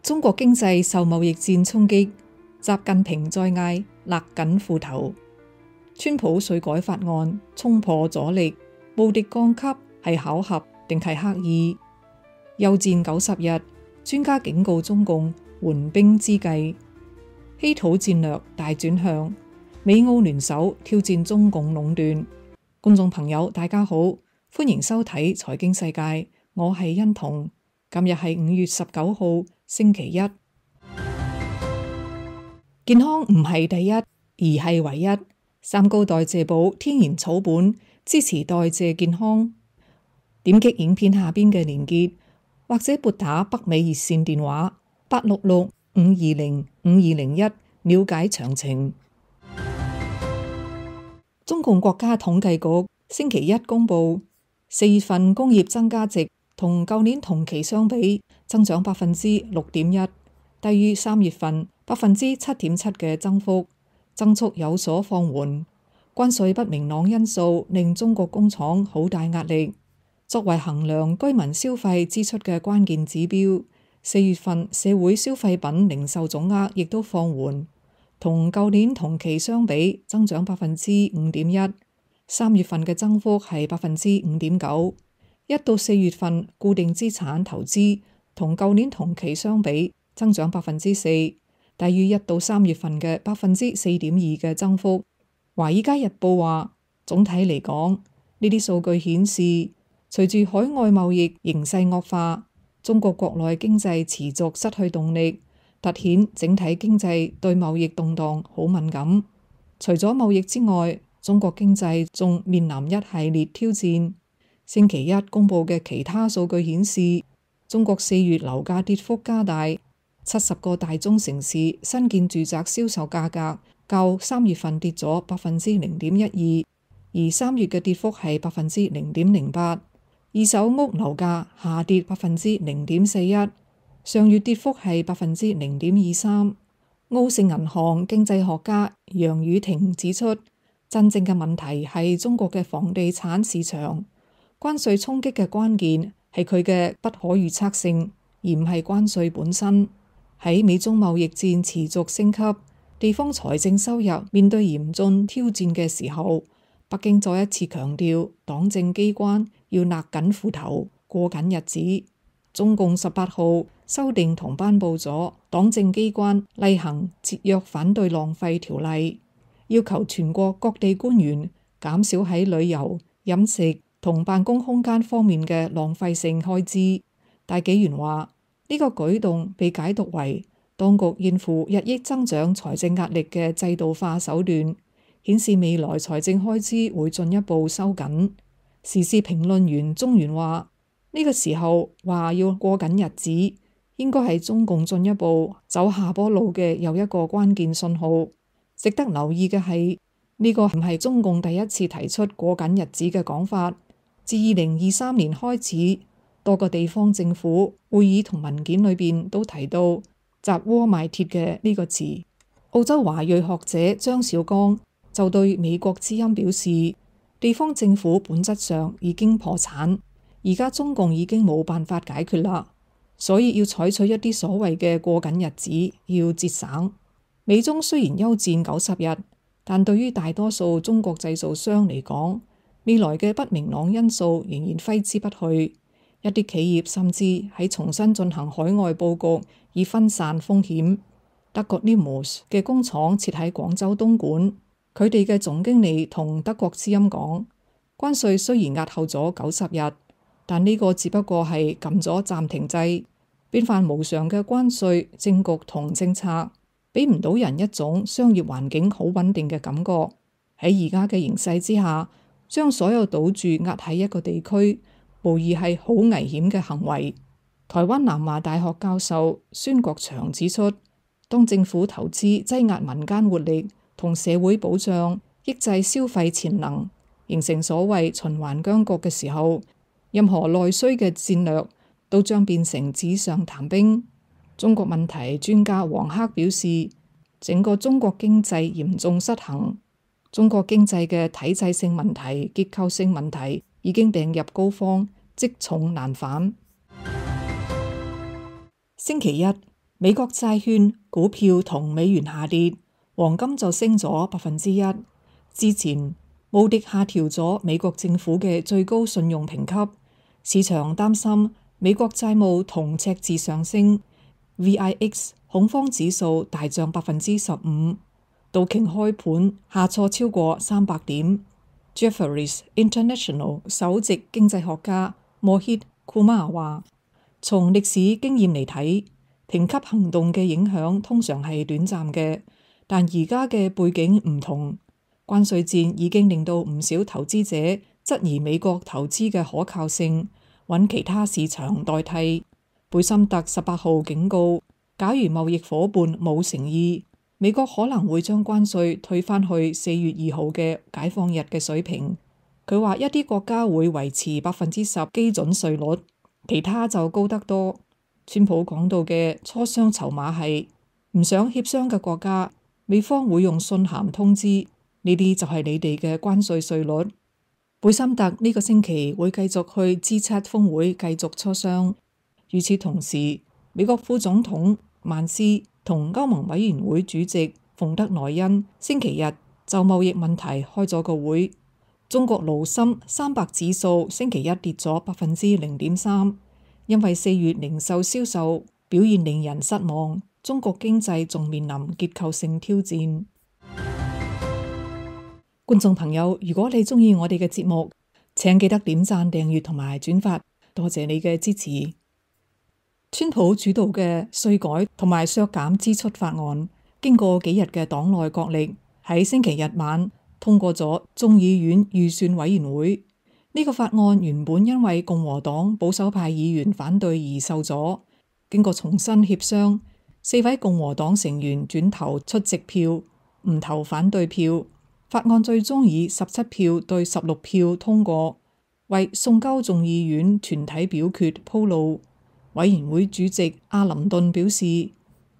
中國經濟受貿易戰衝擊，習近平再嗌勒緊褲頭。川普稅改法案衝破阻力，無敵降級係巧合定係刻意？休戰90日，專家警告中共緩兵之計。稀土戰略大轉向，美澳聯手挑戰中共壟斷。觀眾朋友大家好，歡迎收睇財經世界，我係欣彤。今日係5月19號星期一。健康唔係第一，而係唯一。三高代謝寶天然草本，支持代謝健康。點擊影片下邊嘅連結，或者撥打北美熱線電話866-520-5201了解詳情。中共國家統計局星期一公布，4月份工業增加值同舊年同期相比增長6.1%，低於3月份7.7%嘅增幅，增速有所放緩。關稅不明朗因素令中國工廠好大壓力。作為衡量居民消費支出嘅關鍵指標，4月份社會消費品零售總額亦都放緩，同舊年同期相比增長5.1%， 3月份嘅增幅係5.9%。1到4月份固定資產投資同舊年同期相比增長4%，低於1到3月份嘅4.2%嘅增幅。華爾街日報話，總體嚟講，呢啲數據顯示，隨住海外貿易形勢惡化，中國國內經濟持續失去動力，凸顯整體經濟對貿易動盪好敏感。除咗貿易之外，中國經濟仲面臨一系列挑戰。星期一公布嘅其他數據顯示，中國4月樓價跌幅加大，70個大中城市新建住宅銷售價格較3月份跌咗0.12%，而3月嘅跌幅係0.08%。二手屋樓價下跌0.41%，上月跌幅係0.23%。澳盛銀行經濟學家楊宇霆指出，真正嘅問題係中國嘅房地產市場。關稅衝擊嘅關鍵係佢嘅不可預測性，而唔係關稅本身。喺美中貿易戰持續升級，地方財政收入面對嚴峻挑戰嘅時候，北京再一次強調黨政機關要勒緊褲頭過緊日子。中共18號修訂同頒布咗黨政機關厲行節約反對浪費條例，要求全國各地官員減少喺旅遊、飲食同辦公空間方面嘅浪費性開支。大紀元話，呢個舉動被解讀為當局應付日益增長財政壓力嘅制度化手段，顯示未來財政開支會進一步收緊。時事評論員鍾原話，呢個時候話要過緊日子，應該係中共進一步走下坡路嘅又一個關鍵信號。值得留意嘅係，呢個唔係中共第一次提出過緊日子嘅講法。自2023年開始，多個地方政府會議同文件裏邊都提到砸鍋賣鐵嘅呢個詞。澳洲華裔學者張小剛就對美國之音表示，地方政府本質上已經破產，而家中共已經冇辦法解決啦，所以要採取一啲所謂嘅過緊日子，要節省。美中雖然休戰90日，但對於大多數中國製造商嚟講，未來嘅不明朗因素仍然揮之不去。一啲企業甚至喺重新進行海外佈局，以分散風險。德國 Nemus 嘅工廠設喺廣州東莞，佢哋嘅總經理同德國之音講，關稅雖然押後咗90日，但呢個只不過係撳咗暫停掣。變幻無常嘅關稅政局同政策，俾唔到人一種商業環境好穩定嘅感覺。喺而家嘅形勢之下，將所有賭注壓喺一個地區，無疑係好危險嘅行為。台灣南華大學教授孫國祥指出，當政府投資擠壓民間活力同社會保障，抑制消費潛能，形成所謂循環僵局嘅時候，任何內需嘅戰略都將變成紙上談兵。中國問題專家黃克表示，整個中國經濟嚴重失衡，中國經濟嘅體制性問題、結構性問題已經病入膏肓，積重難返。星期一，美國債券、股票同美元下跌，黃金就升咗1%。之前穆迪下調咗美國政府嘅最高信用評級，市場擔心美國債務同赤字上升。VIX 恐慌指數大漲15%，道瓊開盤下挫超過300點。Jefferies International 首席經濟學家Mohit Kumar 話：從歷史經驗嚟睇，評級行動嘅影響通常係短暫嘅，但而家嘅背景唔同，關稅戰已經令到唔少投資者質疑美國投資嘅可靠性，揾其他市場代替。貝森特18號警告，假如貿易夥伴冇誠意，美國可能會將關稅退返去4月2號嘅解放日嘅水平。佢話一啲國家會維持10%基準稅率，其他就高得多。川普講到嘅磋商籌碼係唔想協商嘅國家，美方會用信函通知呢啲就係你哋嘅關稅稅率。貝森特呢個星期會繼續去 G7 峰會繼續磋商。與此同時，美國副總統曼斯同歐盟委員會主席馮德萊恩星期日就貿易問題開咗個會。中國盧森300指數星期一跌咗0.3%，因為4月零售銷售表現令人失望，中國經濟仲面臨結構性挑戰。觀眾朋友，如果你鍾意我哋嘅節目，請記得點讚、訂閱同埋轉發，多謝你嘅支持。川普主導嘅稅改同埋削減支出法案，經過幾日嘅黨內角力，喺星期日晚通過咗眾議院預算委員會。呢個法案原本因為共和黨保守派議員反對而受阻，經過重新協商，4位共和黨成員轉投出席票，唔投反對票，法案最終以17票對16票通過，為送交眾議院全體表決鋪路。委員會主席阿林頓表示，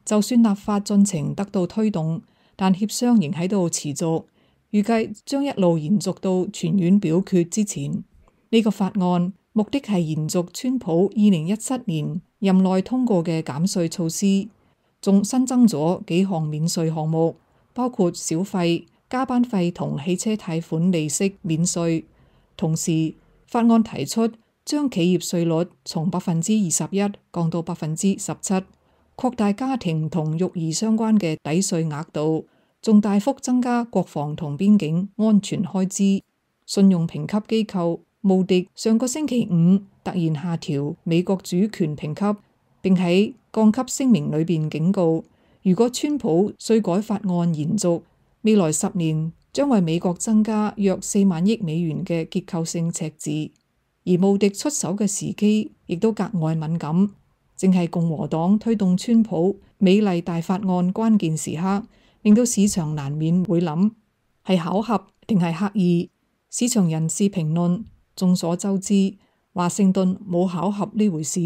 就算立法進程得到推動，但協商仍喺度持續，預計將一路延續到全院表決之前。呢個法案目的係延續川普2017年任內通過嘅減稅措施，仲新增咗幾項免稅項目，包括小費、加班費同汽車貸款利息免稅。同時，法案提出將企業稅率從21%降到17%，擴大家庭同育兒相關嘅抵稅額度，仲大幅增加國防同邊境安全開支。信用評級機構穆迪上個星期五突然下調美國主權評級，並喺降級聲明裏邊警告，如果川普稅改法案延續，未來10年將為美國增加約4萬億美元嘅結構性赤字。而穆迪出手嘅時機亦都格外敏感，正係共和黨推動川普美麗大法案關鍵時刻，令到市場難免會諗係巧合定係刻意。市場人士評論，眾所周知，華盛頓冇巧合呢回事。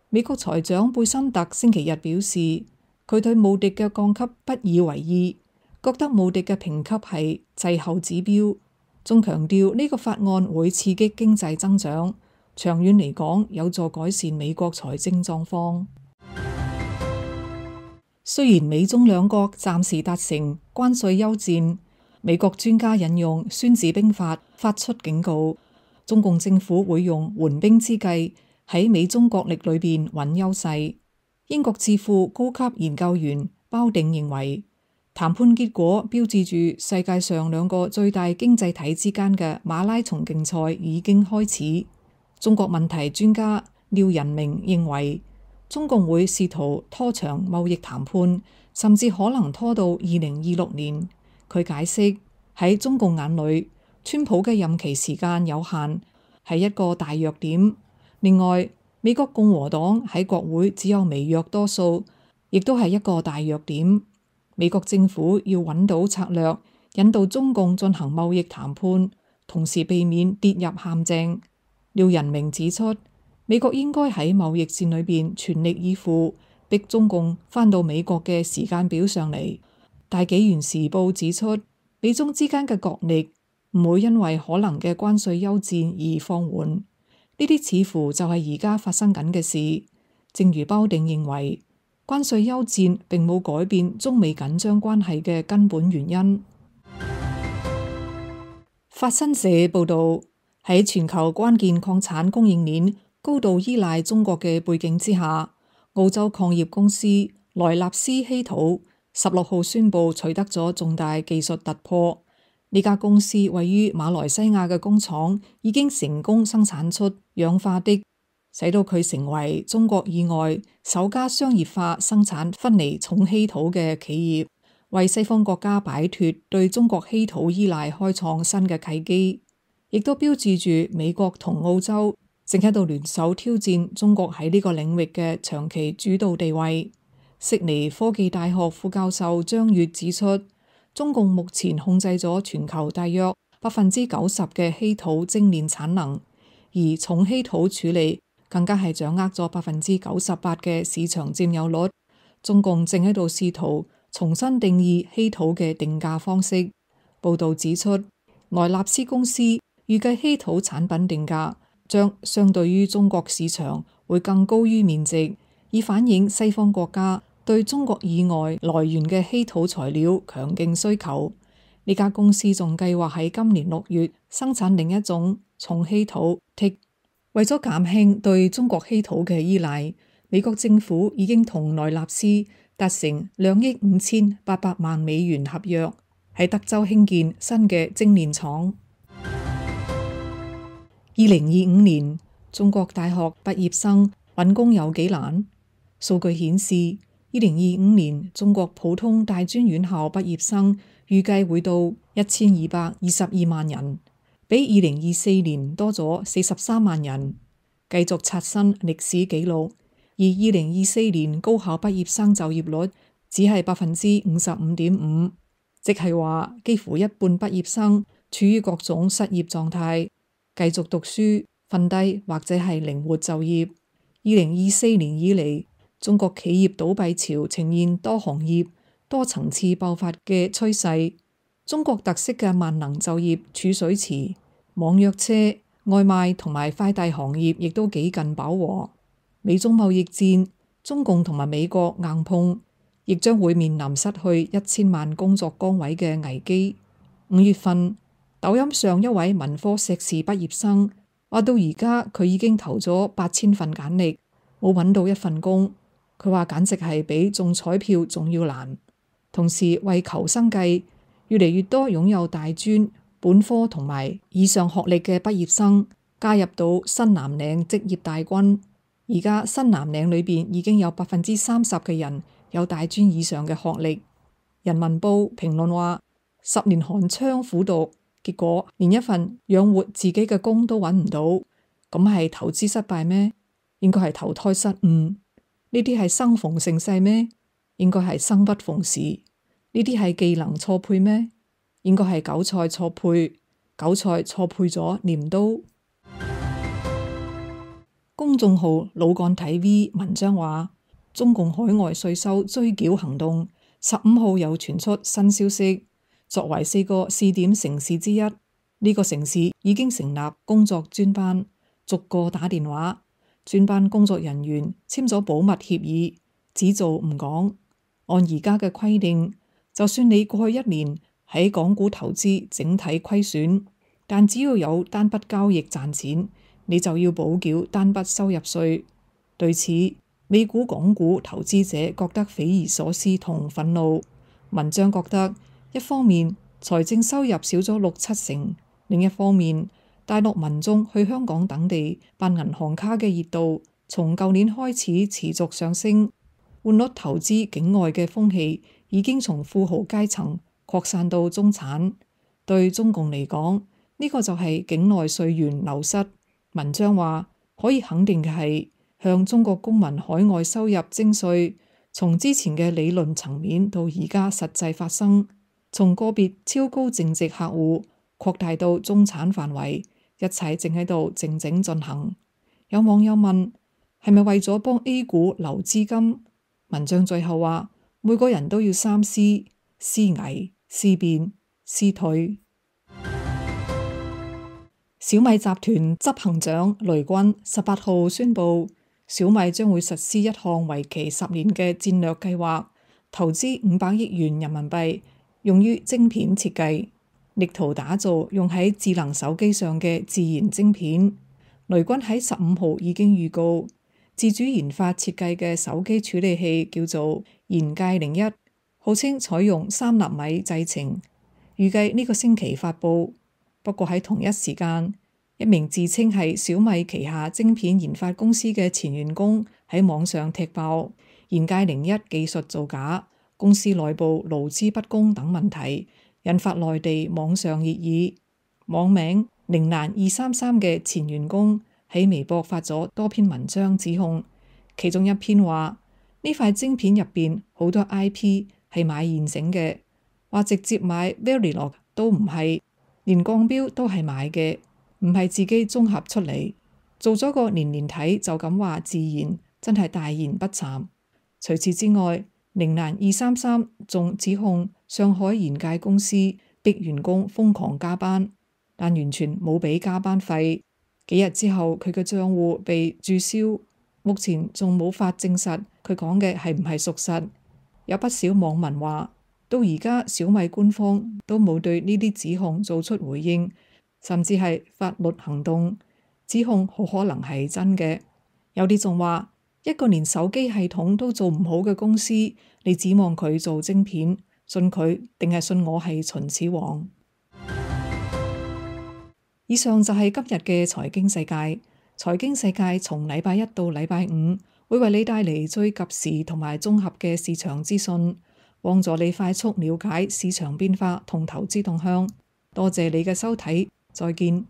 美國財長貝森特星期日表示，佢對穆迪嘅降級不以為意，覺得穆迪嘅評級係滯後指標。仲強調呢個法案會刺激經濟增長，長遠嚟講有助改善美國財政狀況。雖然美中兩國暫時達成關稅休戰，美國專家引用《孫子兵法》發出警告，中共政府會用緩兵之計喺美中角力裏邊揾優勢。英國智庫高級研究員鮑定認為，談判結果標誌住世界上兩個最大經濟體之間嘅馬拉松競賽已經開始。中國問題專家廖仁明認為，中共會試圖拖長貿易談判，甚至可能拖到2026年。佢解釋，喺中共眼裏，川普嘅任期時間有限，係一個大弱點。另外，美國共和黨喺國會只有微弱多數，亦都係一個大弱點。美國政府要揾到策略，引導中共進行貿易談判，同時避免跌入陷阱。廖仁明指出，美國應該喺貿易戰裏邊全力以赴，逼中共返到美國嘅時間表上嚟。大紀元時報指出，美中之間嘅角力唔會因為可能嘅關稅休戰而放緩，呢啲似乎就係而家發生緊嘅事。正如鮑定認為，關稅休戰並冇改變中美緊張關係嘅根本原因。法新社報導，喺全球關鍵礦產供應鏈高度依賴中國嘅背景之下，澳洲礦業公司萊納斯稀土16號宣布取得咗重大技術突破。呢家公司位於馬來西亞嘅工廠已經成功生產出氧化銫，使到佢成為中國以外首家商業化生產分離重稀土嘅企業，為西方國家擺脫對中國稀土依賴開創新嘅契機，亦都標誌住美國同澳洲正喺度聯手挑戰中國喺呢個領域嘅長期主導地位。悉尼科技大學副教授張月指出，中共目前控制咗全球大約90%嘅稀土精煉產能，而重稀土處理更加係掌握咗98%嘅市場佔有率。中共正喺度試圖重新定義稀土嘅定價方式。報導指出，萊納斯公司預計稀土產品定價將相對於中國市場會更高於面值，以反映西方國家對中國以外來源嘅稀土材料強勁需求。呢家公司仲計劃喺今年6月生產另一種重稀土銫。為咗減輕對中國稀土嘅依賴，美國政府已經同萊納斯達成2億5800萬美元合約，喺德州興建新嘅精煉廠。2025年，中國大學畢業生揾工有幾難？數據顯示，2025年中國普通大專院校畢業生預計會到1222萬人，比2024年多咗43萬人，繼續刷新歷史紀錄。而2024年高校畢業生就業率只係55.5%，即係話幾乎一半畢業生處於各種失業狀態，繼續讀書、瞓低或者係靈活就業。2024年以嚟，中國企業倒閉潮呈現多行業、多層次爆發嘅趨勢。中國特色嘅萬能就業儲水池、網約車、外賣同埋快遞行業亦都幾近飽和。美中貿易戰，中共同埋美國硬碰，亦將會面臨失去1000萬工作崗位嘅危機。5月份，抖音上一位文科碩士畢業生話到而家佢已經投咗8000份簡歷，冇揾到一份工。佢話簡直係比中彩票仲要難。同時為求生計，越嚟越多擁有大專、本科同埋以上學歷嘅畢業生加入到新藍領職業大軍。而家新藍領裏邊已經有30%嘅人有大專以上嘅學歷。人民報評論話：10年寒窗苦讀，結果連一份養活自己嘅工都揾唔到，咁係投資失敗咩？應該係投胎失誤。呢啲係生逢盛世咩？應該係生不逢時。呢啲係技能錯配咩？應該係韭菜錯配，韭菜錯配咗鐮刀。公眾號老幹睇 V 文章話，中共海外稅收追繳行動15號又傳出新消息。作為4個試點城市之一，呢個城市已經成立工作專班，逐個打電話。專班工作人員簽咗保密協議，只做唔講。按而家嘅規定，就算你過去1年喺港股投資整體虧損，但只要有單筆交易賺錢，你就要補繳單筆收入稅。對此，美股、港股投資者覺得匪夷所思同憤怒。文章覺得，一方面財政收入少咗6-7成，另一方面大陸民眾去香港等地辦銀行卡嘅熱度從舊年開始持續上升，換率投資境外嘅風氣已經從富豪階層擴散到中產。對中共嚟講，呢個就係境內稅源流失。文章話，可以肯定嘅係，向中國公民海外收入徵稅，從之前嘅理論層面到而家實際發生，從個別超高淨值客戶擴大到中產範圍，一切正喺度靜靜進行。有網友問，係咪為咗幫 A 股留資金？文章最後話，每個人都要三思：思危、思變、思退。小米集團執行長雷軍18號宣布，小米將會實施一項為期10年嘅戰略計劃，投資500億元人民幣，用於晶片設計，力圖打造用喺智能手機上嘅自研晶片。雷軍喺15號已經預告，自主研發設計嘅手機處理器叫做研界01，號稱採用3納米製程，預計呢個星期發布。不過喺同一時間，一名自稱係小米旗下晶片研發公司嘅前員工喺網上踢爆研界01技術造假、公司內部勞資不公等問題，引發內地網上熱議。網名寧蘭233嘅前員工喺微博發咗多篇文章指控，其中一篇話呢塊晶片入邊好多 IP 係買現成嘅，話直接買 Verilog 都唔係，連鋼標都係買嘅，唔係自己綜合出嚟，做咗個年年睇就咁話自研，真係大言不慚。除此之外，寧蘭233仲指控上海研界公司逼員工瘋狂加班，但完全冇俾加班費。幾日之後，佢嘅賬戶被註銷，目前仲冇法證實佢講嘅係唔係屬實。有不少網民話，到而家小米官方都冇對呢啲指控做出回應，甚至係法律行動，指控好可能係真嘅。有啲仲話，一個連手機系統都做唔好嘅公司，你指望佢做晶片，信佢定係信我係秦始皇？以上就係今日嘅財經世界。財經世界從禮拜一到禮拜五會為你帶嚟最及時同埋綜合嘅市場資訊，幫助你快速了解市場變化同投資動向。多謝你嘅收睇，再見。